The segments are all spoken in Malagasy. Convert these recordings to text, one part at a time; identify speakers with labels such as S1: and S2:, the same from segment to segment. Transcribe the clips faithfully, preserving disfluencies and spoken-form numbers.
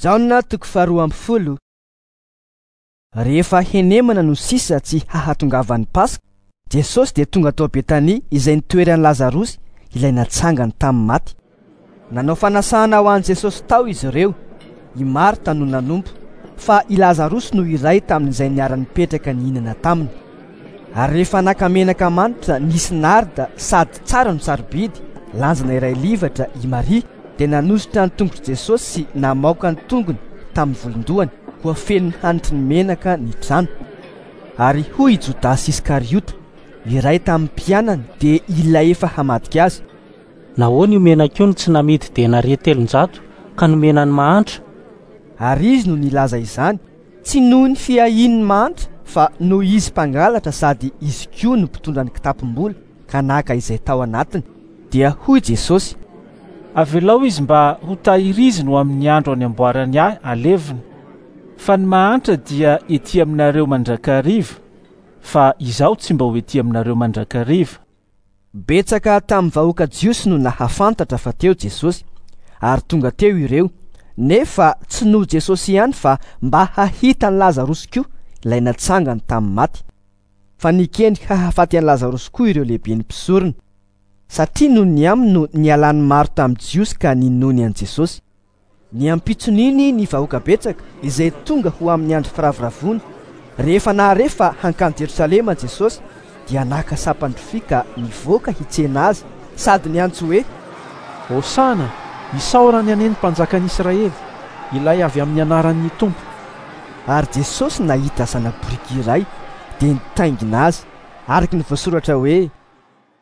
S1: Jaona toko faharoa amby folo. Rehefa henemana no sisa tsy hahatongavan'ny Paska, Jesosy dia tonga tao Betania izay nitoeran'i Lazarosy ilay natsangany tamin'ny maty. Nanao fanasana ho an'i Jesosy tao izy ireo. I Marta no nanompo, fa i Lazarosy no iray tamin'izay niara-nipetraka nihinana taminy. Ary rehefa naka menaka manitra nisy narda sady tsara no sarobidy, lanjana iray livatra i Maria, dia nanositra ny tongotr'i Jesosy sy namaoka ny tongony tamin'ny volon-dohany, koa feno hanitry ny menaka ny trano. Ary hoy i Jodasy Iskariota, iray tamin'ny mpianany, dia ilay efa hamadika azy:
S2: Nahoana io menaka io no tsy namidy denaria telonjato ka nomena ny mahantra?
S1: Ary izy no nilaza izany, tsy noho ny fiahian'ny mahantra, fa noho izy mpangalatra sady izy koa no mpitondra ny kitapom-bola ka naka izay tao anatiny. Dia hoy Jesosy:
S3: Avelao izy mba ho tahiriziny ho amin'ny andro any amboarany ahy alevina. Fa ny mahantra dia ety aminareo mandrakariva, fa izaho tsy mba ho ety aminareo mandrakariva.
S1: Betsaka tamin'ny vahoaka jiosy no nahafantatra fa teo Jesosy, ary tonga teo ireo, nefa tsy noho Jesosy ihany fa mba hahita an'i Lazarosy koa ilay natsangany tamin'ny maty. Fa nikendry hahafaty an'i Lazarosy koa ireo lehiben'ny mpisorona, satria noho ny aminy no nialan'ny maro tamin'ny Jiosy ka ninoany an'i Jesosy. Ny ampitson'iny ny vahoaka betsaka izay tonga ho amin'ny andro firavoravoana, rehefa nahare fa hankany Jerosalema Jesosy, dia naka sampan-drofia ka nivoaka hitsena azy sady niantso hoe:
S4: Hosana, isaorany anie ny mpanjakan'Israely, ilay avy amin'ny anaran'ny Tompo.
S1: Ary Jesosy nahita zana-boriky iray dia nitaingina azy, araka ny voasoratra hoe: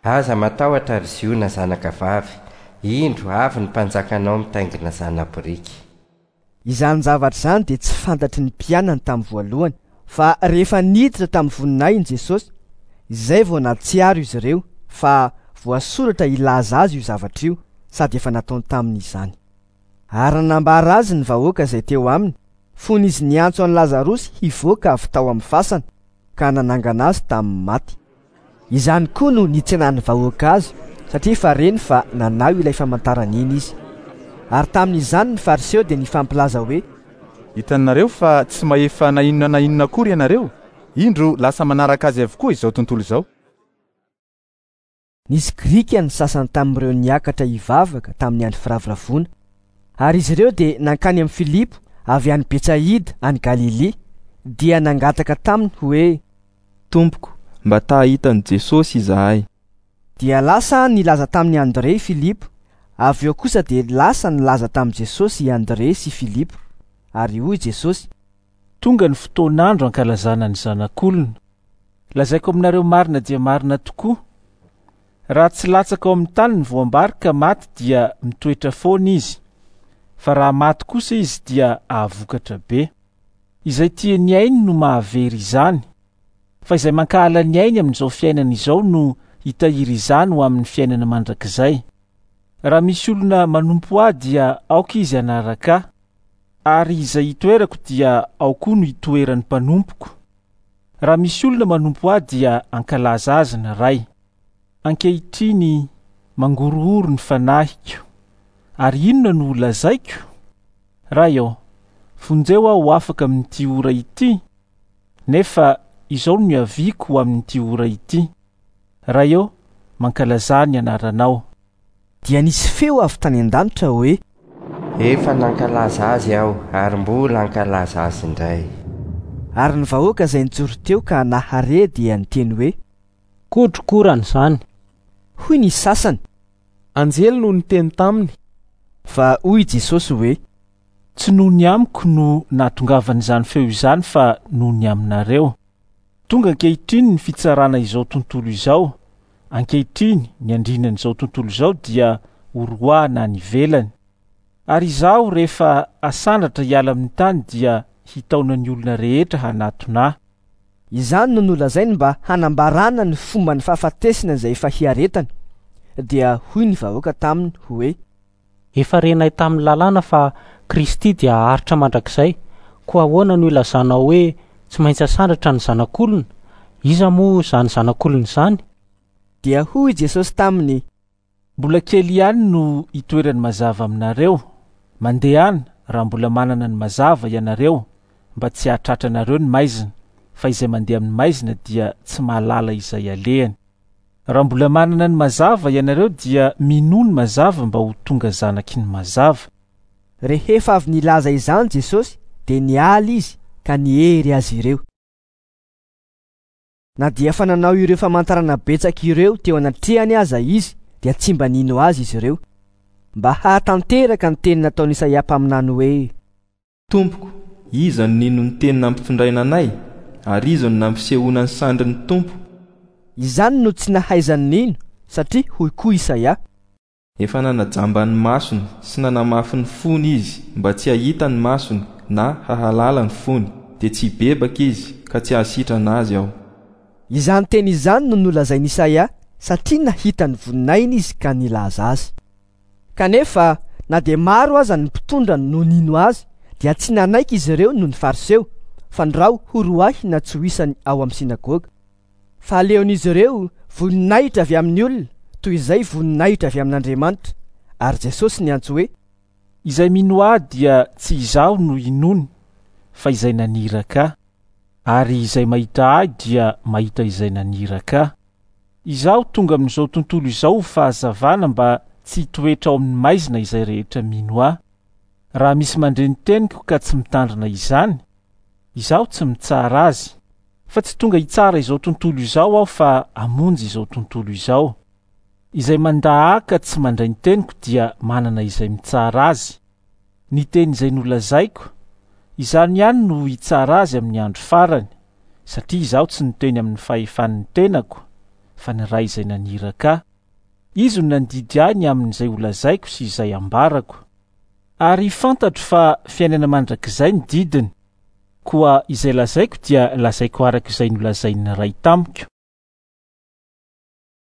S5: Aza matahotra ry Ziona zanaka vavy, indro avy ny mpanjakanao mitaingina zana-boriky.
S1: Izany zavatra izany dia tsy fantatry ny mpianany tamin'ny voalohany, fa rehefa niditra tamin'ny voninahiny Jesosy, izay vao nahatsiaro izy ireo fa voasoratra hilaza azy io zavatra io, sady efa nataony tamin'izany. Ary nambara azy ny vahoaka izay teo aminy, fony izy niantso an'i Lazarosy hivoaka avy tao amin'ny fasana, ka nanangana azy tamin'ny maty. Izany koa no nitsenan'ny vahoaka azy, satria efa reny fa nanao ilay famantarana iny izy. Ary tamin'izany ny Fariseo dia nifampilaza hoe:
S6: Hitanareo fa tsy mahefa na inona na inona akory ianareo, indro lasa manaraka azy avokoa izao tontolo izao.
S1: Nisy Grika ny sasany tamin'ireo niakatra hivavaka tamin'ny andro firavoravoana, ary izy ireo dia nankany amin'i Filipo avy any Betsaida any Galilia, dia nangataka taminy hoe:
S7: Tompoko, mba ta hahita an'i Jesosy izahay.
S1: Dia lasa nilaza tamin'i Andrea Filipo, avy eo kosa dia lasa nilaza tamin'i Jesosy i Andrea sy Filipo. Ary hoy Jesosy:
S3: Tonga ny fotoan'andro ankalazana ny zanak'olona. Lazaiko aminareo marina dia marina tokoa, raha tsy latsaka ao amin'ny tany ny voambary ka maty dia mitoetra foana izy, fa raha maty kosa izy dia ahavokatra be. Izay tia ny ainy no mahavery izany, fa izay mankahala ny ainy amin'izao fiainana izao no hitahiry izany ho amin'ny fiainana mandrakizay. Raha misy olona manompo ahy dia aoka izy hanaraka ahy, ary izay hitoerako dia ao koa no hitoeran'ny mpanompoko. Raha misy olona manompo ahy dia ankalaza azy ny Ray. Ankehitriny mangorohoro ny fanahiko, ary inona no holazaiko? Ray ô, vonjeo aho ho afaka amin'ity ora ity, nefa izao no niaviako ho amin'ity ora ity. Ray ô, mankalazà ny anaranao.
S1: Dia nisy feo avy tany an-danitra hoe:
S5: Efa nankalaza azy aho ary mbola hankalaza azy indray.
S1: Ary ny vahoaka izay nijoro teo ka nahare dia niteny hoe:
S2: Kotrokorana izany.
S1: Hoy ny sasany:
S4: Anjely no niteny taminy.
S1: Fa hoy Jesosy hoe:
S3: Tsy noho ny amiko no nahatongavan'izany feo izany, fa noho ny aminareo. Tonga ankehitriny ny fitsarana izao tontolo izao. Ankehitriny ny andrinan'izao tontolo izao dia horoahana any ivelany. Ary izaho rehefa asandratra hiala amin'ny tany dia hitaona ny olona rehetra hanatona ahy.
S1: Izany no nolazainy mba hanambarana ny fomba ny fahafatesana izay efa hiaretany. Dia hoy ny vahoaka taminy hoe:
S2: Efa renay tamin'ny lalàna fa Kristy dia haharitra mandrakizay, koa ahoana no ilazanao hoe tsy maintsy asandratra ny zanak'olona? Iza moa izany zanak'olona izany?
S1: Dia hoy Jesosy taminy:
S3: Mbola kely ihany no hitoerany mazava aminareo. Mandehana, raha mbola manana ny mazava ianareo, mba tsy hahatratra anareo ny maizina, fa izay mandeha amin'ny maizina dia tsy mahalala izay alehany. Raha mbola manana ny mazava ianareo dia minoa ny mazava mba ho tonga zanaky ny mazava.
S1: Rehefa avy nilaza izany Jesosy dia niala izy ka niery azy ireo. Na dia efa nanao ireo famantarana betsaka ireo teo anatrehany aza izy dia tsy mba nino azy izy ireo, mba hahatanteraka ny teny nataon'i Isaia mpaminany hoe:
S7: Tompoko, iza no nino ny teny nampitondraina anay, ary iza no nampisehoana ny sandrin'ny Tompo?
S1: Izany no tsy nahaizany nino, satria hoy koa Isaia:
S7: Efa nanajamba ny masony sy nanamafy ny fony izy mba tsy hahita ny masony na hahalala ny fony, dia tsy hibebaka izy ka tsy hahasitrana azy aho.
S1: Izany teny izany no nolazain'i Isaia satria nahita ny voninahiny izy ka nilaza azy. Kanefa na dia maro aza ny mpitondra no nino azy dia tsy nanaiky izy ireo noho ny Fariseo, fandrao horoahina tsy ho isany ao amin'ny sinagoga. Fa aleon'izy ireo voninahitra avy amin'ny olona toy izay voninahitra avy amin'Andriamanitra. Ary Jesosy niantso hoe:
S3: Izay mino ahy dia tsy izaho no inoany, fa izay naniraka ahy. Ary izay mahita ahy dia mahita izay naniraka ahy. Izaho tonga amin'izao tontolo izao ho fahazavana mba tsy hitoetra ao amin'ny maizina izay rehetra mino ahy. Raha misy mandre ny teniko ka tsy mitandrina izany, izaho tsy mitsara azy, fa tsy tonga hitsara izao tontolo izao aho fa hamonjy izao tontolo izao. Izay mandà ahy ka tsy mandray ny teniko dia manana izay mitsara azy. Ny teny izay nolazaiko, izany ihany no hitsara azy amin'ny andro farany, satria izaho tsy niteny amin'ny fahefan'ny tenako, fa ny Ray izay naniraka ahy. Izy no nandidy ahy ny amin'izay holazaiko sy izay ambarako. Ary fantatro fa fiainana mandrakizay ny didiny, koa izay lazaiko dia lazaiko araka izay nolazain'ny Ray tamiko.